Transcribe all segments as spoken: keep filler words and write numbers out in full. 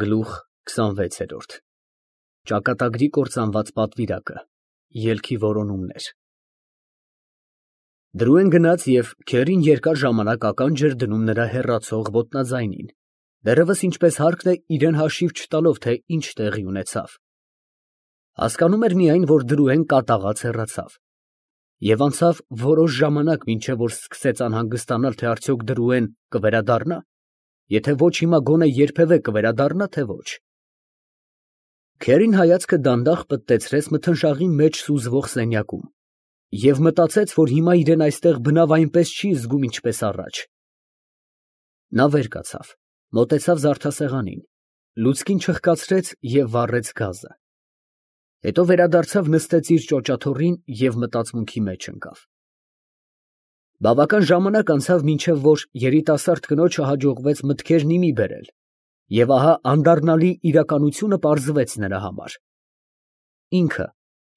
Գլուխ քսանվեցերորդ Ճակատագրի կործանված պատվիրակը, ելքի որոնումներ։ Դրուեն գնաց և քերին երկար ժամանակ ականջ էր դնում նրա հեռացող ոտնաձայնին, դեռևս ինչպես հարկն է իրան հաշիվ չտալով, թե ինչ տեղի ունեցավ. հասկանում էր միայն, որ Դրուեն կատաղած հեռացավ, և անցավ որոշ ժամանակ, մինչև որ սկսեց անհանգստանալ, թե արդյոք Դրուեն կվերադառնա, եթե ոչ հիմա, գոնե երբևէ կվերադառնա, թե ոչ։ Քերին հայացքը դանդաղ պտտեցրեց մթնշաղի մեջ սուզվող սենյակում և մտածեց, որ հիմա իրեն այստեղ բնավ այնպես չի զգում, ինչպես առաջ։ Նա վեր կացավ, մոտեցավ զարդասեղանին, լուցկին չխկացրեց և վառեց գազը։ Հետո վերադարձավ, նստեց իր ճոճաթոռին և մտածմունքի մեջ ընկավ։ Բավական ժամանակ անցավ, մինչև որ երիտասարդ կնոջը հաջողվեց մտքերն ի մի բերել, և ահա անդառնալի իրականությունը պարզվեց նրա համար. ինքը,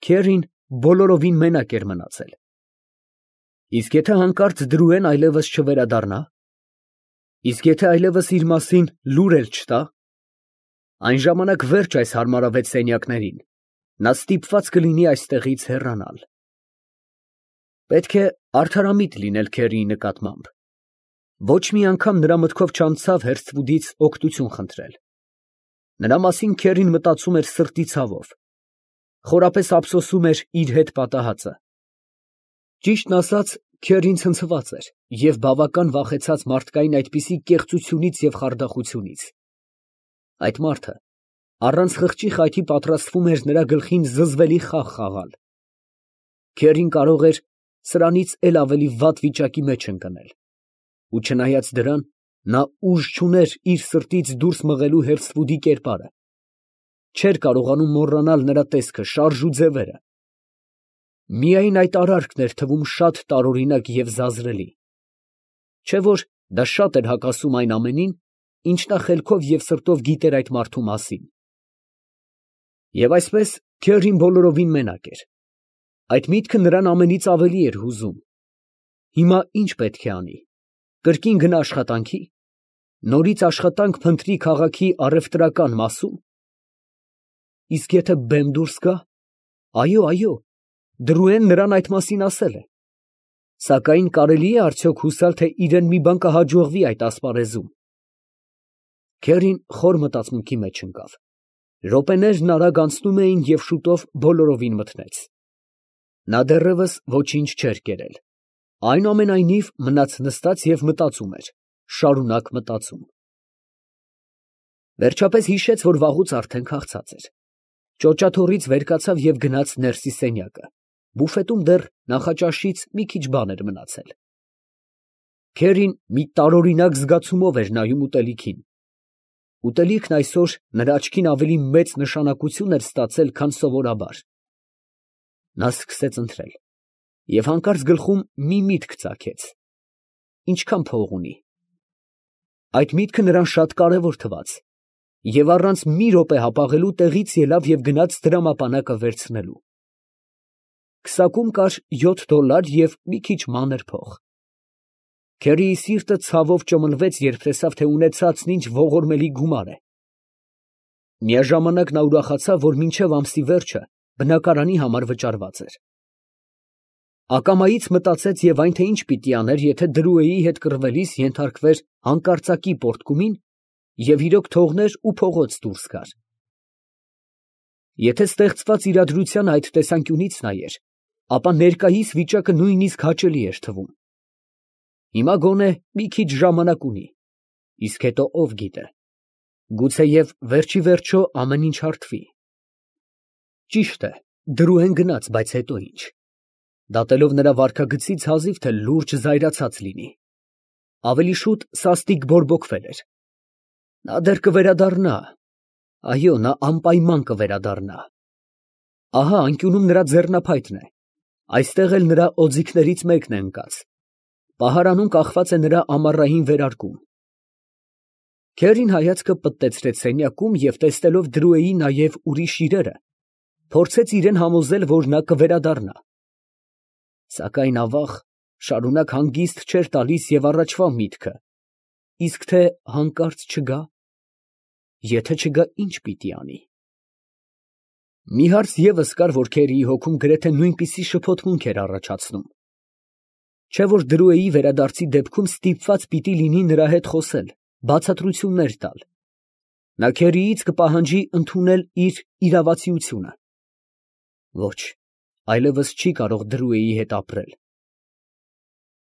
Քերին, բոլորովին մենակ էր մնացել։ Իսկ եթե հանկարծ Դրուեն այլևս չվերադառնա, իսկ եթե այլևս իր մասին լուր էլ չտա, այն ժամանակ վերջ այս հարմարավետ սենյակներին, նա ստիպված կլինի այստեղից հեռանալ։ Պետք է արդարամիտ լինել Քերիի նկատմամբ։ Ոչ մի անգամ նրա մտքով չանցավ Հերսթվուդից օգնություն խնդրել։ Նրա մասին Քերին մտածում էր սրտի ցավով, խորապես ափսոսում էր իր հետ պատահածը։ Ճիշտն ասած, Քերին ցնցված էր և բավական վախեցած մարդկային այդպիսի կեղծությունից և խարդախությունից։ Այդ մարդը առանց խղճի խայթի պատրաստվում էր նրա գլխին զզվելի խաղ խաղալ։ Քերին կարող էր սրանից էլ ավելի վատ վիճակի մեջ ընկնել, ու չնայած դրան, նա ուժ չուներ իր սրտից դուրս մղելու Հերսթվուդի կերպարը, չէր կարողանում մոռանալ նրա տեսքը, շարժ ու ձևերը։ Միայն այդ արարքն էր թվում շատ տարօրինակ և զազրելի, չէ՞ որ դա շատ էր հակասում այն ամենին, ինչ նա խելքով և սրտով գիտեր այդ մարդու մասին։ Եվ այսպես, Քերին բոլորովին մենակ էր։ Այդ միտքը նրան ամենից ավելի էր հուզում։ Հիմա ի՞նչ պետք է անի։ Կրկին գնա աշխատանքի, նորից աշխատանք փնտրի քաղաքի առևտրական մասում։ Իսկ եթե բեմ դուրս գա, այո, այո, Դրուեն նրան այդ մասին ասել է։ Սակայն կարելի է արդյոք հուսալ, թե իրան մի բան կհաջողվի այդ ասպարեզում։ Քերին խոր մտածմունքի մեջ ընկավ։ Րոպեներն արագ անցնում էին և շուտով բոլորովին մթնեց։ Նա դեռևս ոչինչ չէր կերել, այնուամենայնիվ մնաց նստած և մտածում էր, շարունակ մտածում։ Վերջապես հիշեց, որ վաղուց արդեն քաղցած էր։ Ճոճաթոռից վեր կացավ և գնաց ներսի սենյակը, բուֆետում դեռ նախաճաշից մի քիչ բան էր մնացել։ Քերին մի տարօրինակ զգացումով էր նայում ուտելիքին։ Ուտելիքն այսօր նրա աչքին ավելի մեծ նշանակություն էր ստացել, քան սովորաբար։ Նա սկսեց ընթրել և հանկարծ գլխում մի միտք ծագեց. ինչքան փող ունի։ Այդ միտքը նրան շատ կարևոր թվաց, և առանց մի րոպե հապաղելու տեղից ելավ և գնաց դրամապանակը վերցնելու։ Քսակում կար յոթ դոլար և մի քիչ մանր փող։ Քերիի սիրտը ցավով ճմլվեց, երբ տեսավ, թե ունեցածն ինչ ողորմելի գումար է։ Միաժամանակ նա ուրախացավ, որ մինչև ամսի վերջը բնակարանի համար վճարված էր։ Ակամայից մտածեց և այն, թե ինչ պիտի աներ, եթե Դրուեի հետ կռվելիս ենթարկվեր հանկարծակի պոռթկումին և իրոք թողներ ու փողոց դուրս գար։ Եթե ստեղծված իրադրությանն այդ տեսանկյունից նայեր, ապա ներկայիս վիճակը նույնիսկ հաճելի էր թվում։ Հիմա գոնե մի քիչ ժամանակ ունի, իսկ հետո ով գիտե, գուցեև վերջիվերջո ամեն ինչ հարթվի։ Ճիշտ է, Դրուեն գնաց, բայց հետո ի՞նչ։ Դատելով նրա վարքագծից հազիվ թե լուրջ զայրացած լինի։ Ավելի շուտ սաստիկ բորբոքվել էր։ Նա դեռ կվերադառնա, այո, նա անպայման կվերադառնա։ Ահա անկյունում նրա ձեռնափայտն է, այստեղ էլ նրա օձիքներից մեկն է ընկած։ Պահարանում կախված է նրա ամառային վերարկուն։ Քերին հայացքը պտտեցրեց սենյակում և տեսնելով Դրուեի նաև ուրիշ իրերը, փորձեց իրան համոզել, որ նա կվերադառնա։ Սակայն ավաղ, շարունակ հանգիստ չէր տալիս և առաջվա միտքը, իսկ թե հանկարծ չգա։ եթե չգա, ինչ պիտի անի։ Մի հարց ևս կար, որ Քերիի հոգում գրեթե նույնպիսի շփոթմունք էր առաջացնում. չէ՞ որ Դրուեի վերադարձի դեպքում ստիպված պիտի լինի նրա հետ խոսել, բացատրություններ տալ։ Նա Քերիից կպահանջի ընդունել իր իրավացիությունը։ Ոչ, այլևս չի կարող Դրուեի հետ ապրել։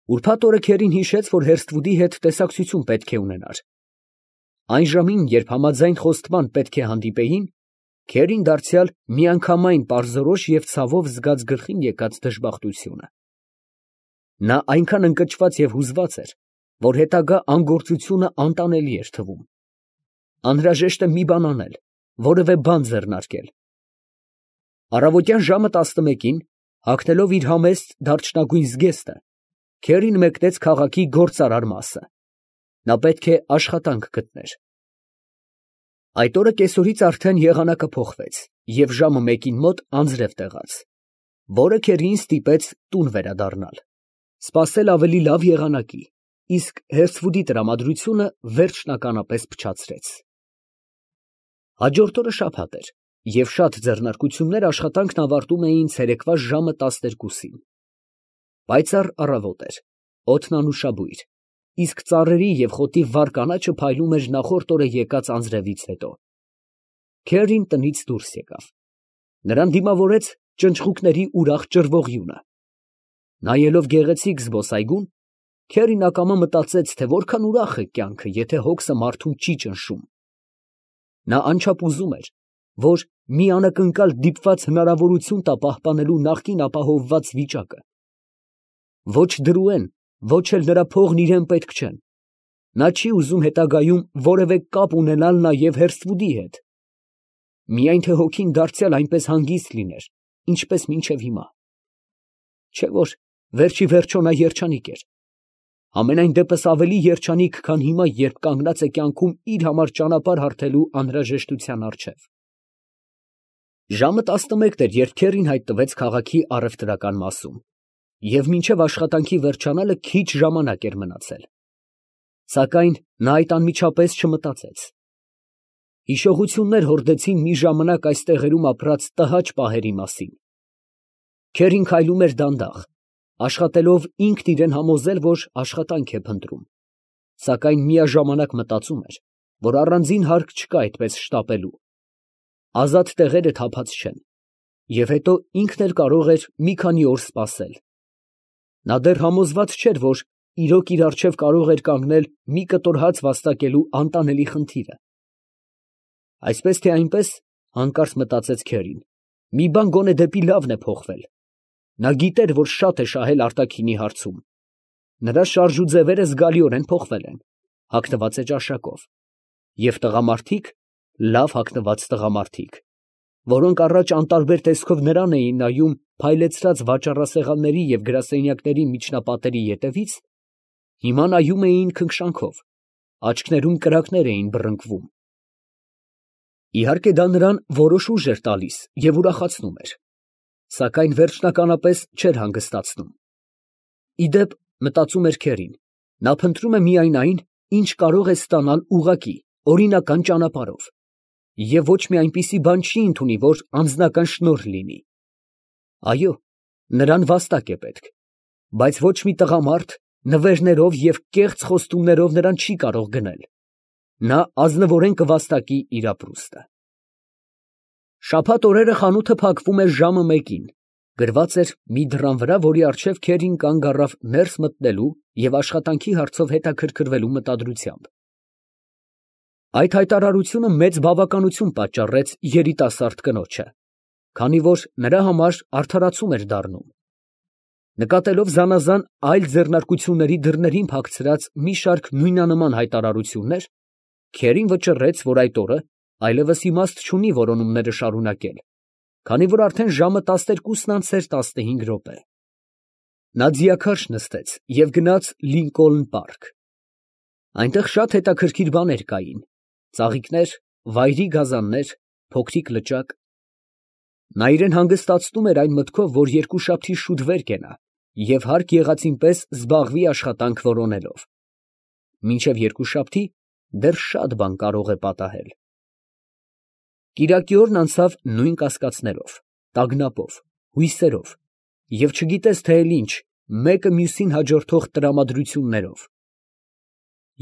Ուրբաթ օրը Քերին հիշեց, որ Հերսթվուդի հետ տեսակցություն պետք է ունենար։ Այն ժամին, երբ համաձայն խոստման պետք է հանդիպեին, Քերին դարձյալ միանգամայն պարզորոշ և ցավով զգաց գլխին եկած դժբախտությունը։ Նա այնքան ընկճված և հուզված էր, որ հետագա անգործությունը անտանելի էր թվում։ Անհրաժեշտ է մի բան անել, որևէ բան ձեռնարկել։ Առավոտյան ժամը տասնմեկին, հագնելով իր համեստ դարչնագույն զգեստը, Քերին մեկնեց քաղաքի գործարար մասը։ Նա պետք է աշխատանք գտներ։ Այդ օրը կեսօրից արդեն եղանակը փոխվեց և ժամը մեկին մոտ անձրև տեղաց, որը Քերիին ստիպեց տուն վերադառնալ, սպասել ավելի լավ եղանակի, իսկ Հերսթվուդի տրամադրությունը վերջնականապես փչացրեց։ Հաջորդ օրը շաբաթ էր, և շատ ձեռնարկություններ աշխատանքն ավարտում էին ցերեկվա ժամը տասներկուսին։ Պայծառ առավոտ էր, օդն անուշաբույր, իսկ ծառերի և խոտի վառ կանաչը փայլում էր նախորդ օրը եկած անձրևից հետո։ Քերին տնից դուրս եկավ։ Նրան դիմավորեց ճնճղուկների ուրախ ճռվողյունը։ Նայելով գեղեցիկ զբոսայգուն, Քերին ակամա մտածեց, թե որքան ուրախ է կյանքը, եթե հոգսը մարդուն չի ճնշում։ Նա անչափ ուզում էր, որ մի անակնկալ դիպված հնարավորություն տա պահպանելու նախկին ապահովված վիճակը։ Ոչ Դրուեն, ոչ էլ նրա փողն իրան պետք չեն։ Նա չի ուզում հետագայում որևէ կապ ունենալ նաև Հերսթվուդի հետ։ Միայն թե հոգին դարձյալ այնպես հանգիստ լիներ, ինչպես մինչև հիմա։ Չէ՞ որ վերջի վերջո նա երջանիկ էր։ Համենայն դեպս ավելի երջանիկ, քան հիմա, երբ կանգնած է կյանքում իր համար ճանապարհ հարթելու անհրաժեշտության առջև։ Ժամը տասնմեկն էր, երբ Քերին հայտնվեց քաղաքի առևտրական մասում, և մինչև աշխատանքի վերջանալը քիչ ժամանակ էր մնացել։ Սակայն նա այդ անմիջապես չմտածեց։ Հիշողություններ հորդեցին մի ժամանակ այս տեղերում ապրած տհաճ պահերի մասին։ Քերին քայլում էր դանդաղ, աշխատելով ինքն իրան համոզել, որ աշխատանք է փնտրում, սակայն միաժամանակ մտածում էր, որ առանձին հարկ չկա այդպես շտապելու։ Ազատ տեղերը թափած չեն, և հետո ինքն էլ կարող էր մի քանի օր սպասել։ Նա դեռ համոզված չէր, որ իրոք իր առջև կարող էր կանգնել մի կտոր հաց վաստակելու անտանելի խնդիրը։ Այսպես թե այնպես, հանկարծ մտածեց Քերին, մի բան գոնե դեպի լավն է փոխվել։ Նա գիտեր, որ շատ է շահել արտաքինի հարցում։ Նրա շարժուձևերը զգալիորեն փոխվել են, հագնված է ճաշակով, և տղամարդիկ, լավ հագնված տղամարդիկ, որոնք առաջ անտարբեր տեսքով նրան էին նայում փայլեցրած վաճառասեղանների և գրասենյակների միջնապատերի ետևից, հիմա նայում էին քնքշանքով, աչքներում կրակներ էին բռնկվում։ Իհարկե դա նրան որոշ ուժ էր տալիս և ուրախացնում էր, սակայն վերջնականապես չէր հանգստացնում։ Ի դեպ, մտածում էր Քերին, նա փնտրում է միայն այն, ինչ կարող է ստանալ ուղղակի, օրինական ճանապարհով, և ոչ մի այնպիսի բան չի ընդունի, որ անձնական շնորհ լինի։ Այո, նրան վաստակ է պետք, բայց ոչ մի տղամարդ նվերներով և կեղծ խոստումներով նրան չի կարող գնել։ Նա ազնվորեն կվաստակի իր ապրուստը։ Շաբաթ օրերը խանութը փակվում էր ժամը մեկին, գրված էր մի դռան վրա, որի առջև Քերին կանգ առավ ներս մտնելու և աշխատանքի հարցով հետաքրքրվելու մտադրությամբ։ Այդ հայտարարությունը մեծ բավականություն պատճառեց երիտասարդ կնոջը, քանի որ նրա համար արդարացում էր դառնում։ Նկատելով զանազան այլ ձեռնարկությունների դռներին փակցրած մի շարք նույնանման հայտարարություններ, Քերին վճռեց, որ այդ օրը այլևս իմաստ չունի որոնումները շարունակել, քանի որ արդեն ժամը տասներկուսն անցել տասնհինգ րոպե։ Նա ձիաքարշ նստեց և գնաց Լինկոլն պարկ։ Այնտեղ շատ հետաքրքիր բաներ կային, ծաղիկներ, վայրի գազաններ, փոքրիկ լճակ։ Նա իրան հանգստացնում էր այն մտքով, որ երկուշաբթի շուտ վեր կենա և հարկ եղածին պես զբաղվի աշխատանք որոնելով։ Մինչև երկուշաբթի դեռ շատ բան կարող է պատահել։ Կիրակի օրն անցավ նույն կասկածներով, տագնապով, հույսերով և չգիտես թե էլ ինչ, մեկը մյուսին հաջորդող տրամադրություններով։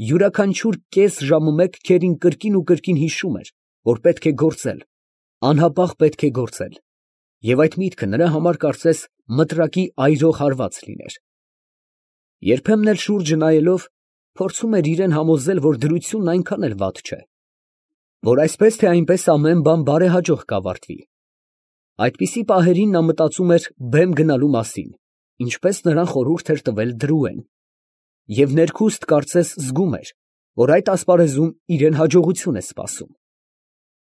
Յուրաքանչյուր կես ժամը մեկ քերին կրկին ու կրկին հիշում էր, որ պետք է գործել, անհապաղ պետք է գործել, և այդ միտքը նրա համար կարծես մտրակի այրող հարված լիներ։ Երբեմն էլ շուրջը նայելով, փորձում էր իրան համոզել, որ դրությունն այնքան էլ վատ չէ, որ այսպես թե այնպես ամեն բան բարեհաջող կավարտվի։ Այդպիսի պահերին նա մտածում էր բեմ գնալու մասին, ինչպես նրան խորհուրդ էր տվել Դրուեն, և ներքուստ կարծես զգում էր, որ այդ ասպարեզում իրան հաջողություն է սպասում։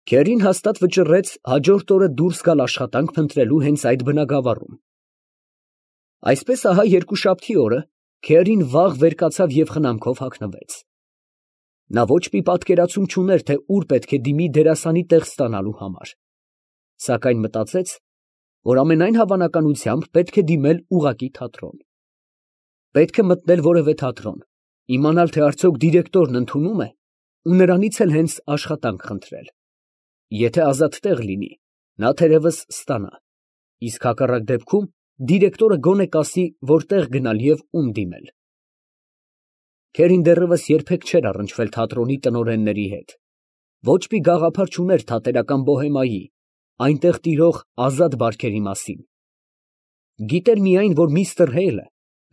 Քերին հաստատ վճռեց հաջորդ օրը դուրս գալ աշխատանք փնտրելու հենց այդ բնակավայրում։ Այսպես ահա երկուշաբթի օրը Քերին վաղ վեր կացավ և խնամքով հագնվեց։ Նա ոչ մի պատկերացում չուներ, թե ուր պետք է դիմի դերասանի տեղ ստանալու համար, սակայն մտածեց, որ ամենայն հավանականությամբ պետք է դիմել ուղղակի թատրոն։ Պետք է մտնել որևէ թատրոն, իմանալ, թե արդյոք դիրեկտորն ընդունում է ու նրանից էլ հենց աշխատանք խնդրել։ Եթե ազատ տեղ լինի, նա թերևս ստանա, իսկ հակառակ դեպքում դիրեկտորը գոնե կասի, որտեղ գնալ և ում դիմել։ Քերին դեռևս երբեք չէր առնչվել թատրոնի տնօրենների հետ, ոչ մի գաղափար չուներ թատերական բոհեմայի, այնտեղ տիրող ազատ բարքերի մասին։ Գիտեր միայն, որ միստր Հեյլը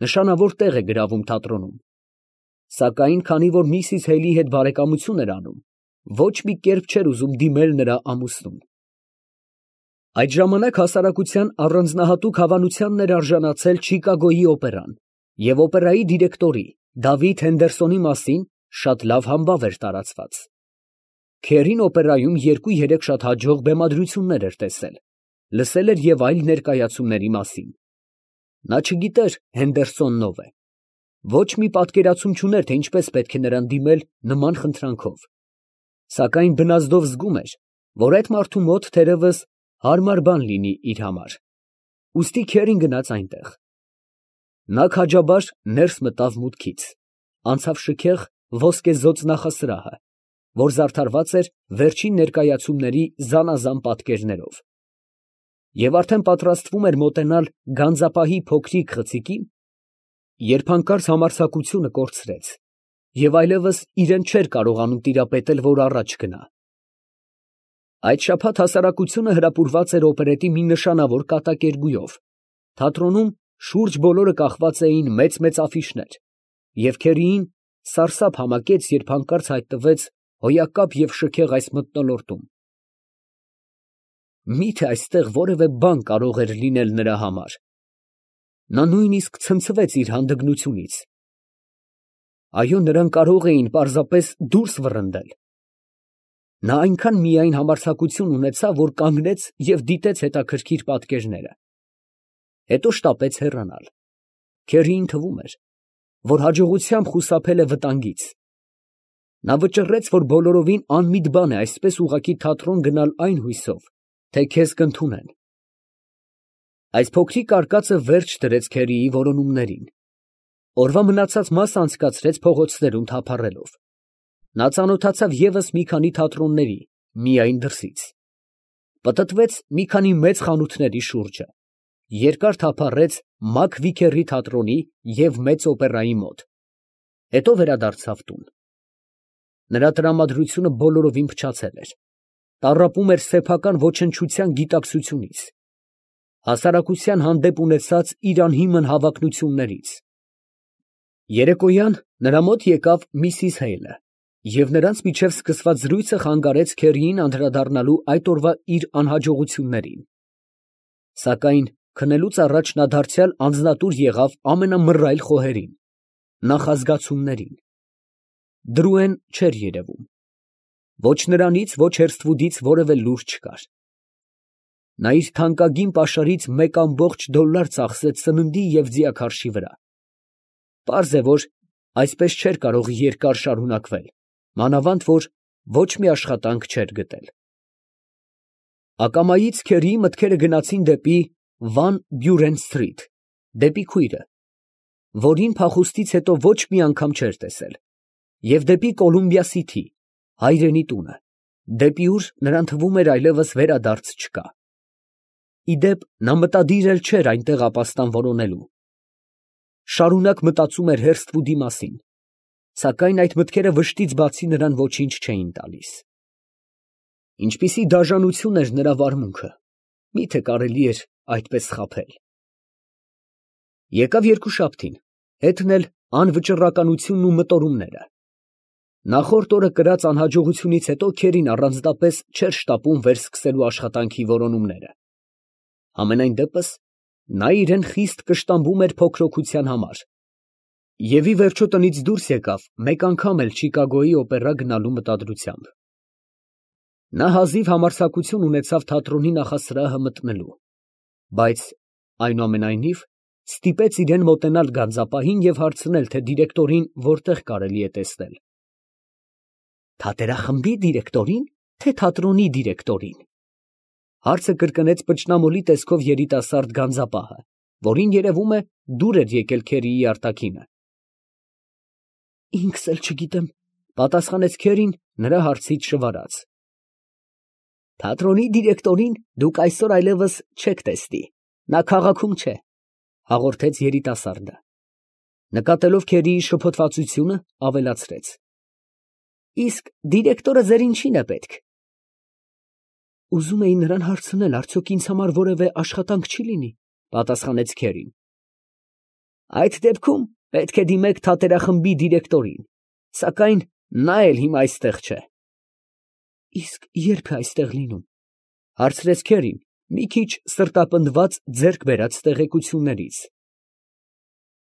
նշանավոր տեղ է գրավում թատրոնում, սակայն քանի որ միսիս Հեյլի հետ բարեկամություն էր անում, ոչ մի կերպ չէր ուզում դիմել նրա ամուսնուն։ Այդ ժամանակ հասարակության առանձնահատուկ հավանությանն էր արժանացել Չիկագոյի օպերան, և օպերայի դիրեկտորի Դավիթ Հենդերսոնի մասին շատ լավ համբավ էր տարածված։ Քերին օպերայում երկու֊երեք շատ հաջող բեմադրություններ էր տեսել, լսել էր և այլ ներկայացումների մասին։ Նա չգիտեր Հենդերսոնն ով է, ոչ մի պատկերացում չուներ, թե ինչպես պետք է նրան դիմել նման խնդրանքով, սակայն բնազդով զգում էր, որ այդ մարդու մոտ թերևս հարմար բան լինի իր համար, ուստի Քերին գնաց այնտեղ։ Նա քաջաբար ներս մտավ մուտքից, անցավ շքեղ ոսկեզօծ նախասրահը, որ զարդարված էր վերջին ներկայացումների զանազան պատկերներով, և արդեն պատրաստվում էր մոտենալ գանձապահի փոքրիկ խցիկին, երբ հանկարծ համարձակությունը կորցրեց և այլևս իրան չէր կարողանում տիրապետել, որ առաջ գնա։ Այդ շաբաթ հասարակությունը հրապուրված էր օպերետի մի նշանավոր կատակերգույով, թատրոնում շուրջ բոլորը կախված էին մեծ֊մեծ աֆիշներ, և Քերիին սարսափ համակեց, երբ հանկարծ հայտնվեց հոյակապ և շքեղ այս մթնոլորտում։ Մի՞թե այստեղ որևէ բան կարող էր լինել նրա համար։ Նա նույնիսկ ցնցվեց իր հանդգնությունից։ Այո, նրան կարող էին պարզապես դուրս վռնդել։ Նա այնքան միայն համարձակություն ունեցավ, որ կանգնեց և դիտեց հետաքրքիր պատկերները, հետո շտապեց հեռանալ։ Քերիին թվում էր, որ հաջողությամբ խուսափել է վտանգից։ Նա վճռեց, որ բոլորովին անմիտ բան է այսպես ուղղակի թատրոն գնալ այն հույսով, թե քեզ կընդունեն։ Այս փոքրիկ արկածը վերջ դրեց Քերիի որոնումներին։ Օրվա մնացած մասը անցկացրեց փողոցներում թափառելով։ Նա ծանոթացավ ևս մի քանի թատրոնների, միայն դրսից։ Պտտվեց մի քանի մեծ խանութների շուրջը, երկար թափառեց Մակ Վիքերի թատրոնի և մեծ օպերայի մոտ, հետո վերադարձավ տուն։ Նրա տրամադրությունը բոլորովին փչացել էր, տառապում էր սեփական ոչնչության գիտակցությունից, հասարակության հանդեպ ունեցած իր անհիմն հավակնություններից։ Երեկոյան նրա մոտ եկավ միսիս Հեյլը, և նրանց միջև սկսված զրույցը խանգարեց Քերիին անդրադառնալու այդ օրվա իր անհաջողություններին։ Սակայն քնելուց առաջ նա դարձյալ անձնատուր եղավ ամենամռայլ խոհերին, նախազգացումներին։ Դրուեն չէր երևում։ Ոչ նրանից, ոչ Հերսթվուդից որևէ լուր չկար։ Նա իր թանկագին պաշարից մեկ ամբողջ դոլլար ծախսեց սննդի և ձիաքարշի վրա։ Պարզ է, որ այսպես չէր կարող երկար շարունակվել, մանավանդ որ ոչ մի աշխատանք չէր գտել։ Ակամայից Քերիի մտքերը գնացին դեպի Վան Բյուրեն սթրիթ, դեպի քույրը, որին փախուստից հետո ոչ մի անգամ չէր տեսել, և դեպի Կոլումբիա Սիթի, հայրենի տունը, դեպի ուր նրան թվում էր այլևս վերադարձ չկա։ Ի դեպ, նա մտադիր էլ չէր այնտեղ ապաստան որոնելու. շարունակ մտածում էր հերթ֊վուդի մասին, սակայն այդ մտքերը վշտից բացի նրան ոչինչ չէին տալիս։ Ինչպիսի դաժանություն էր նրա վարմունքը, մի՞թե կարելի էր այդպես խաբել։ Եկավ երկուշաբթին, հետն էլ անվճռականությունն ու մտորումները։ Նախորդ օրը կրած անհաջողությունից հետո Քերին առանձնապես չէր շտապում վերսկսելու աշխատանքի որոնումները։ Համենայն դեպս, նա իրեն խիստ կշտամբում էր փոքրոքության համար և ի վերջո տնից դուրս եկավ մեկ անգամ էլ Չիկագոյի օպերա գնալու մտադրությամբ։ Նա հազիվ համարձակություն ունեցավ թատրոնի նախասրահը մտնելու, բայց, այնուամենայնիվ, ստիպեց իրեն մոտենալ գանձապահին և հարցնել, թե դիրեկտորին որտեղ կարելի է տեսնել։ «Թատերախմբի դիրեկտորի՞ն, թե թատրոնի դիրեկտորին» հարցը կրկնեց պճնամոլի տեսքով երիտասարդ գանձապահը, որին, երևում է, դուր էր եկել Քերիի արտաքինը։ «Ինքս էլ չգիտեմ», պատասխանեց Քերին նրա հարցից շվարած։ «Թատրոնի դիրեկտորին դուք այսօր այլևս չեք տեսնի, նա քաղաքում չէ», հաղորդեց երիտասարդը։ Նկատելով Քերիի շփոթվածությունը, ավելացրեց. «Իսկ դիրեկտորը ձեր ինչին է պետք»։ «Ուզում էի նրան հարցնել, արդյոք ինձ համար որևէ աշխատանք չի լինի», պատասխանեց Քերին։ «Այդ դեպքում պետք է դիմեք թատերախմբի դիրեկտորին, սակայն նա էլ հիմա այստեղ չէ»։ «Իսկ ե՞րբ է այստեղ լինում», հարցրեց Քերին, մի քիչ սրտապնդված ձեռք բերած տեղեկություններից։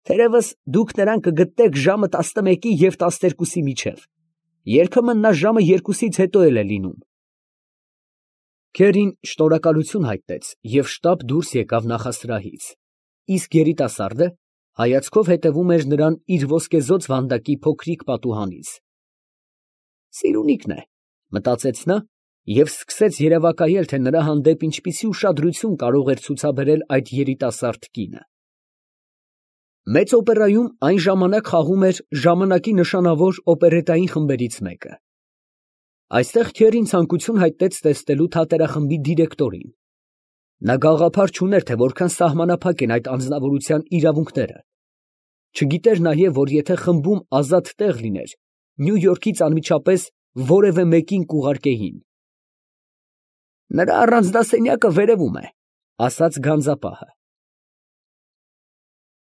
«Թերևս դուք նրան կգտնեք ժամը տասնմեկի և տասներկուսի միջև, երբեմն նա ժամը երկուսից հետո էլ է լինում»։ Քերին շնորհակալություն հայտնեց և շտապ դուրս եկավ նախասրահից, իսկ երիտասարդը հայացքով հետևում էր նրան իր ոսկեզօծ վանդակի փոքրիկ պատուհանից։ «Սիրունիքն է», մտածեց նա և սկսեց երևակայել, թե նրա հանդեպ ինչպիսի ուշադրություն կարող էր ցուցաբերել այդ երիտասարդ կինը։ Մեծ օպերայում այն ժամանակ խաղում էր ժամանակի նշանավոր օպերետային խմբերից մեկը։ Այստեղ Քերին ցանկություն հայտնեց տեսնելու թատերախմբի դիրեկտորին։ Նա գաղափար չուներ, թե որքան սահմանափակ են այդ անձնավորության իրավունքները։ Չգիտեր նաև, որ եթե խմբում ազատ տեղ լիներ, Նյու Յորքից անմիջապես որևէ մեկին կուղարկեին։ «Նրա առանձնասենյակը վերևում է», ասաց գանձապահը։